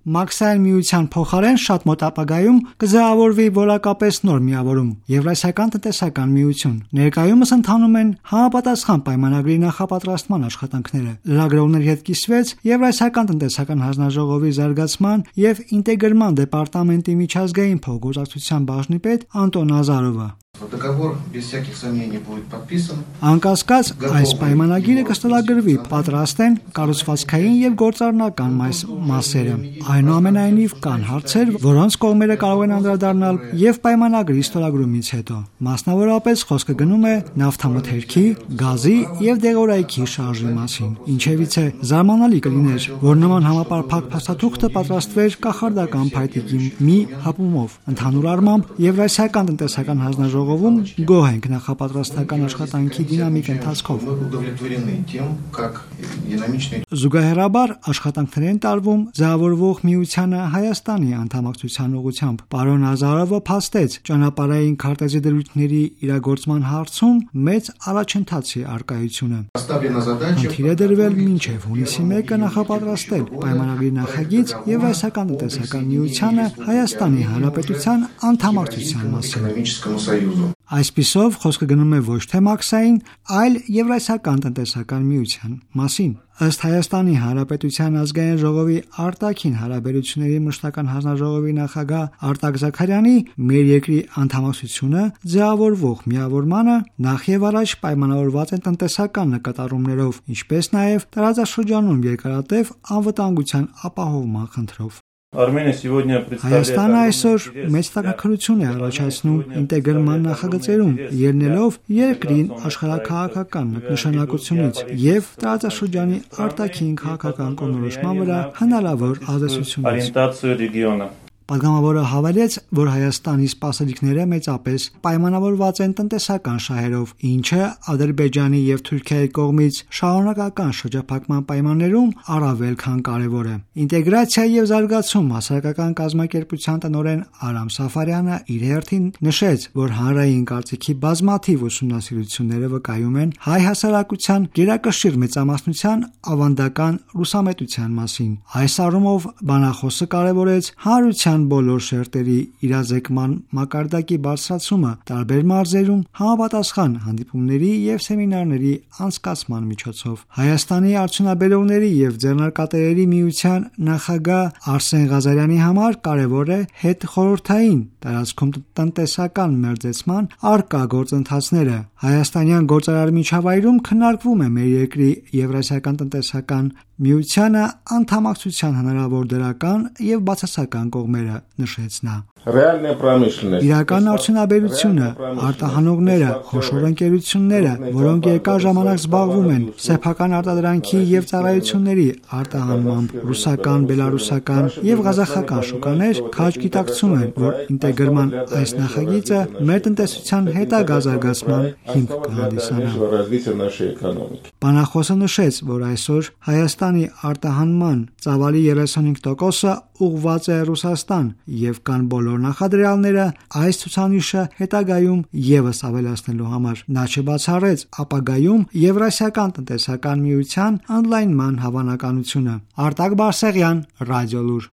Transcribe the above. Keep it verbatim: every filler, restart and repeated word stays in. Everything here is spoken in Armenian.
Մաքսային միության փոխարեն շատ մոտ ապագայում կձևավորվի որակապես նոր միավորում՝ Եվրասիական տնտեսական միություն։ Ներկայումս ընթանում են համապատասխան պայմանագրի նախապատրաստման աշխատանքները։ Լրագրողների հետ կիսվեց Եվրասիական տնտեսական հանձնաժողովի զարգացման եւ ինտեգրման դեպարտամենտի միջազգային փոխգործակցության բաժնի պետ Անտոն Ազարովը։ Договор без всяких сомнений будет подписан. Անկասկած, այս պայմանագիրը կստելագրվի, պատրաստ են կառուցվածքային եւ գործառնական մասերը։ Այնուամենայնիվ կան հարցեր, որոնց կողմերը կարող են անդրադառնալ եւ պայմանագրի ստորագրումից հետո։ Մասնավորապես խոսքը գնում է նավթամթերքի, գազի եւ դեղորայքի շարժի մասին։ Ինչևից է զարմանալի կլիներ, որ նման համապարփակ փաստաթուղթը պատրաստվեր կախարդական փայտիկի մի հապումով։ Ընդհանուր առմամբ, Եվրասիական տնտեսական հանձնաժողովը ում գոհ ենք նախապատրաստական աշխատանքի դինամիկ ընթացքով։ Զուգահեռաբար աշխատանքներ են տարվում ձևավորվող միությանը Հայաստանի անդամակցության ուղղությամբ։ Պարոն Ազարովը փաստեց ճանապարհային քարտեզի դրույթների իրագործման հարցում մեծ առաջընթացի արկայությունը։ Խնդիր է դրվել մինչև հունիսի մեկը նախապատրաստել պայմանագրի նախագիծ Եվրասիական տնտեսական միությանը Հայաստանի Հանրապետության անդամակցության մասին։ Այսպիսով խոսքը գնում է ոչ թե մաքսային, այլ Եվրասիական տնտեսական միության մասին։ Ըստ Հայաստանի Հանրապետության ազգային ժողովի արտաքին հարաբերությունների մշտական հանձնաժողովի նախագահ Արտակ Զաքարյանի, մեր երկրի անդամակցությունը ձևավորվող միավորմանը նախ եւ առաջ պայմանավորված է տնտեսական նկատառումներով, ինչպես նաեւ տարածաշրջանում երկարատև անվտանգության ապահովման խնդրով։ Հայաստանը այսօր մեծ տաքաքրություն է առաջացնում ինտեգրման նախագծերում, ելնելով երկրին աշխարհաքաղաքական նշանակությունից եւ տարածաշրջանի արտաքին քաղաքական կողմնորոշման վրա հնարավոր ազդեցությունից։ Պատգամավորը հավելեց, որ Հայաստանի սպասելիքները մեծապես պայմանավորված են տնտեսական շահերով, ինչը Ադրբեջանի եւ Թուրքիայի կողմից շարունակական շրջափակման պայմաններում առավել քան կարեւոր է։ Ինտեգրացիա եւ զարգացում հասարակական կազմակերպության տնօրեն Արամ Սաֆարյանը իր հերթին նշեց, որ հանրային կարծիքի բազմաթիվ ուսումնասիրությունները վկայում են հայ հասարակության գերակշիռ մեծամասնության ավանդական ռուսամետության մասին։ Այս առումով բանախոսը կարևորեց հանրության բոլոր շերտերի իրազեկման մակարդակի բարձրացումը տարբեր մարզերում համապատասխան հանդիպումների եւ սեմինարների անցկացման միջոցով։ Հայաստանի արդյունաբերողների եւ ձեռնարկատերերի միության նախագահ Արսեն Ղազարյանի համար կարևոր է հետխորհրդային տարածքում տնտեսական մերձեցման արկա գործընթացները։ Հայաստանյան գործարար միջավայրում քննարկվում է մեր երկրի Եվրասիական տնտեսական միությանը անդամակցության հնարավոր դրական եւ բացասական կողմերը, նշեց նա։ Իրական արդյունաբերությունը, արտահանողները, խոշոր ընկերությունները, որոնք երկար ժամանակ զբաղվում են սեփական արտադրանքի եւ ծառայությունների արտահանմամբ, ռուսական, բելարուսական եւ ղազախական շուկաներ քաջ գիտակցում են, որ ինտեգրման այս նախագիծը մեր տնտեսության հետագա զարգացման հիմք կհանդիսանա։ Բանախոսը նշեց, որ այսօր Հայաստանի արտահանման ծավալի երեսունհինգ տոկոսը ուղղված է Ռուսաստան եւ կան բոլոր նախադրյալները այս ցուցանիշը հետագայում եւս ավելացնելու համար։ Նա չբացառեց ապագայում Եվրասիական տնտեսական միության ընդլայնման հավանականությունը։ Արտակ Բարսեղյան, Ռադիոլուր։